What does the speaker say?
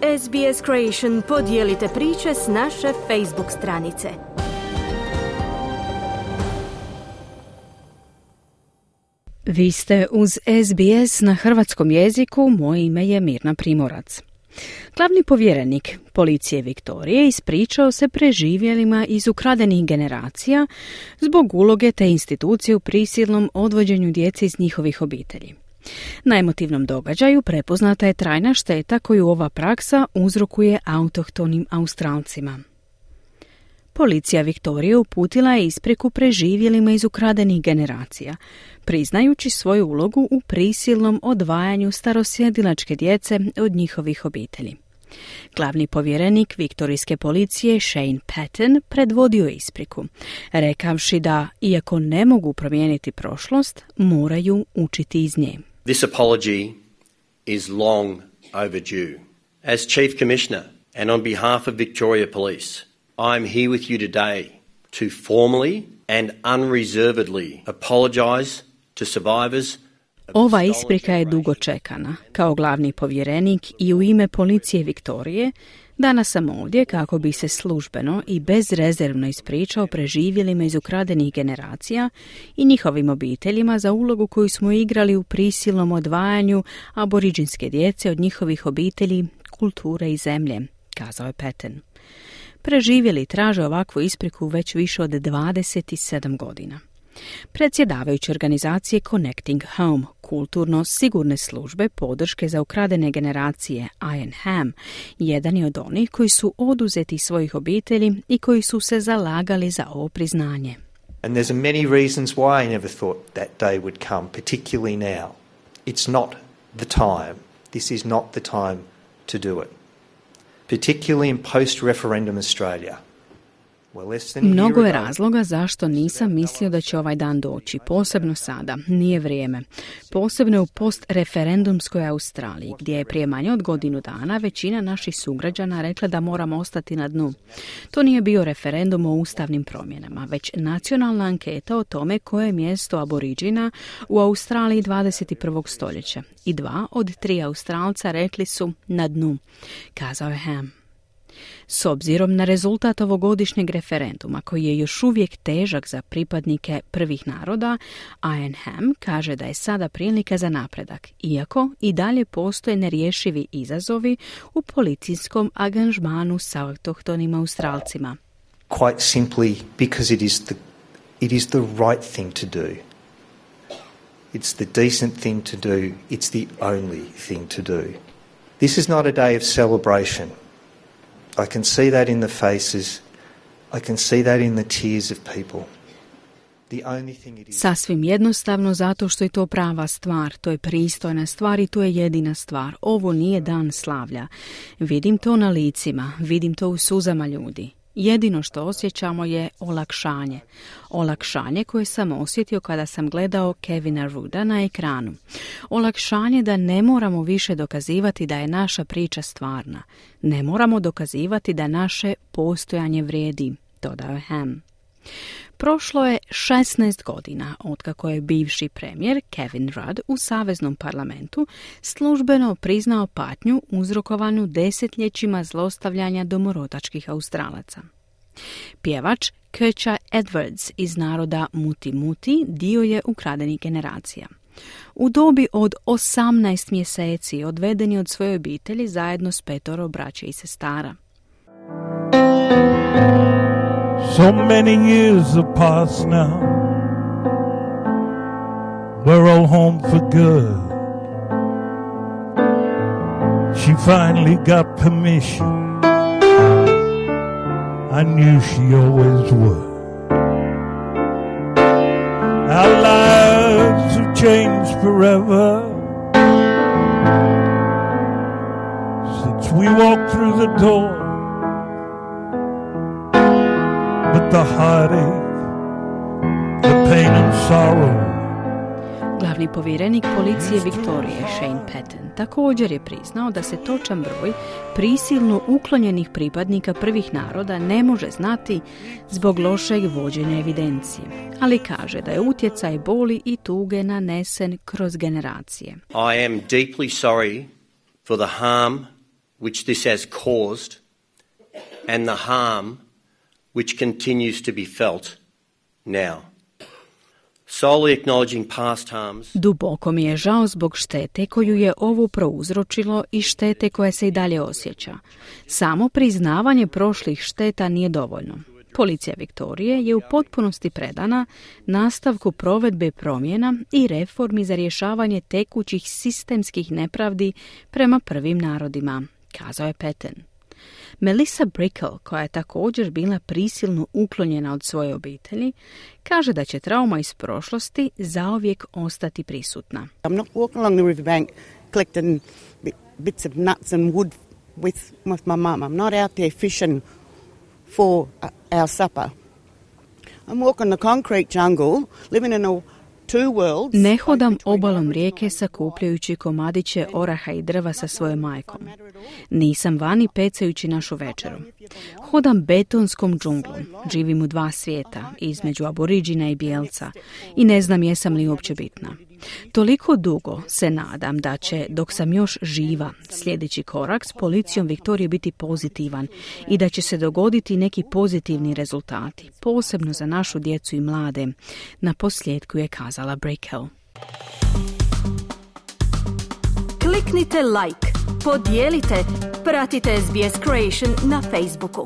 SBS Creation podijelite priče s naše Facebook stranice. Vi ste uz SBS na hrvatskom jeziku, moje ime je Mirna Primorac. Glavni povjerenik policije Viktorije ispričao se preživjelima iz ukradenih generacija zbog uloge te institucije u prisilnom odvođenju djece iz njihovih obitelji. Na emotivnom događaju prepoznata je trajna šteta koju ova praksa uzrokuje autohtonim Australcima. Policija Viktorije uputila je ispriku preživjelima iz ukradenih generacija, priznajući svoju ulogu u prisilnom odvajanju starosjedilačke djece od njihovih obitelji. Glavni povjerenik viktorijske policije Shane Patton predvodio je ispriku, rekavši da, iako ne mogu promijeniti prošlost, moraju učiti iz nje. This apology is long overdue. As Chief Commissioner and on behalf of Victoria Police, I am here with you today to formally and unreservedly apologise to survivors. Ova isprika je dugo čekana. Kao glavni povjerenik i u ime policije Viktorije, danas sam ovdje kako bi se službeno i bezrezervno ispričao preživjelima iz ukradenih generacija i njihovim obiteljima za ulogu koju smo igrali u prisilnom odvajanju aboriđinske djece od njihovih obitelji, kulture i zemlje, kazao je Patton. Preživjeli traže ovakvu ispriku već više od 27 godina. Predsjedavajući organizacije Connecting Home, kulturno sigurne službe podrške za ukradene generacije Ian Ham, jedan je od onih koji su oduzeti svojih obitelji i koji su se zalagali za ovo priznanje. And there's many reasons why I never thought that day would come, particularly now. It's not the time. This is not the time to do it. Particularly in post-referendum Australia. Mnogo je razloga zašto nisam mislio da će ovaj dan doći, posebno sada, nije vrijeme. Posebno u post-referendumskoj Australiji, gdje je prije manje od godinu dana većina naših sugrađana rekla da moramo ostati na dnu. To nije bio referendum o ustavnim promjenama, već nacionalna anketa o tome koje je mjesto aboriđina u Australiji 21. stoljeća. I 2 od 3 Australca rekli su na dnu, kazao je Ham. S obzirom na rezultat ovogodišnjeg referenduma, koji je još uvijek težak za pripadnike prvih naroda, Ian Ham kaže da je sada prilika za napredak, iako i dalje postoje nerješivi izazovi u policijskom angažmanu sa autohtonim Australcima. Quite simply because it is the right thing to do. It's the decent thing to do. It's the only thing to do. This is not a day of celebration. I can see that in the faces. I can see that in the tears of people. The only thing it is... Sasvim jednostavno zato što je to prava stvar, to je pristojna stvar i to je jedina stvar. Ovo nije dan slavlja. Vidim to na licima, vidim to u suzama ljudi. Jedino što osjećamo je olakšanje. Olakšanje koje sam osjetio kada sam gledao Kevina Rooda na ekranu. Olakšanje da ne moramo više dokazivati da je naša priča stvarna. Ne moramo dokazivati da naše postojanje vrijedi, dodao je Ham. Prošlo je 16 godina otkako je bivši premijer Kevin Rudd u Saveznom parlamentu službeno priznao patnju uzrokovanu desetljećima zlostavljanja domorodačkih Australaca. Pjevač Kecha Edwards iz naroda Muti Muti dio je ukradenih generacija. U dobi od 18 mjeseci odveden je od svoje obitelji zajedno s 5 braće i sestara. So many years have passed now. We're all home for good. She finally got permission. I knew she always would. Our lives have changed forever since we walked through the door. But the heartache, the pain and sorrow. Glavni povjerenik policije Viktorije Shane Patton također je priznao da se točan broj prisilno uklonjenih pripadnika prvih naroda ne može znati zbog lošeg vođenja evidencije, ali kaže da je utjecaj boli i tuge nanesen kroz generacije. I am deeply sorry for the harm which this has caused and the harm which continues to be felt now. Solely acknowledging past harms. Duboko mi je žao zbog štete koju je ovo prouzročilo i štete koja se i dalje osjeća. Samo priznavanje prošlih šteta nije dovoljno. Policija Viktorije je u potpunosti predana nastavku provedbe promjena i reformi za rješavanje tekućih sistemskih nepravdi prema prvim narodima, kazao je Patten. Melissa Brickell, koja je također bila prisilno uklonjena od svoje obitelji, kaže da će trauma iz prošlosti zauvijek ostati prisutna. I'm not walking along the riverbank collecting bits of nuts and wood with my mum. I'm not out there fishing for our supper. I'm walking the concrete jungle, living in a two worlds. Ne hodam obalom rijeke sakupljajući komadiće oraha i drva sa svojom majkom. Nisam vani pecajući našu večeru. Hodam betonskom džunglom, živim u dva svijeta, između aboriđina i bijelca, i ne znam jesam li uopće bitna. Toliko dugo se nadam da će, dok sam još živa, sljedeći korak s policijom Viktorije biti pozitivan i da će se dogoditi neki pozitivni rezultati, posebno za našu djecu i mlade, na posljedku je kazala Brickell. Kliknite like, podijelite, pratite SBS Creation na Facebooku.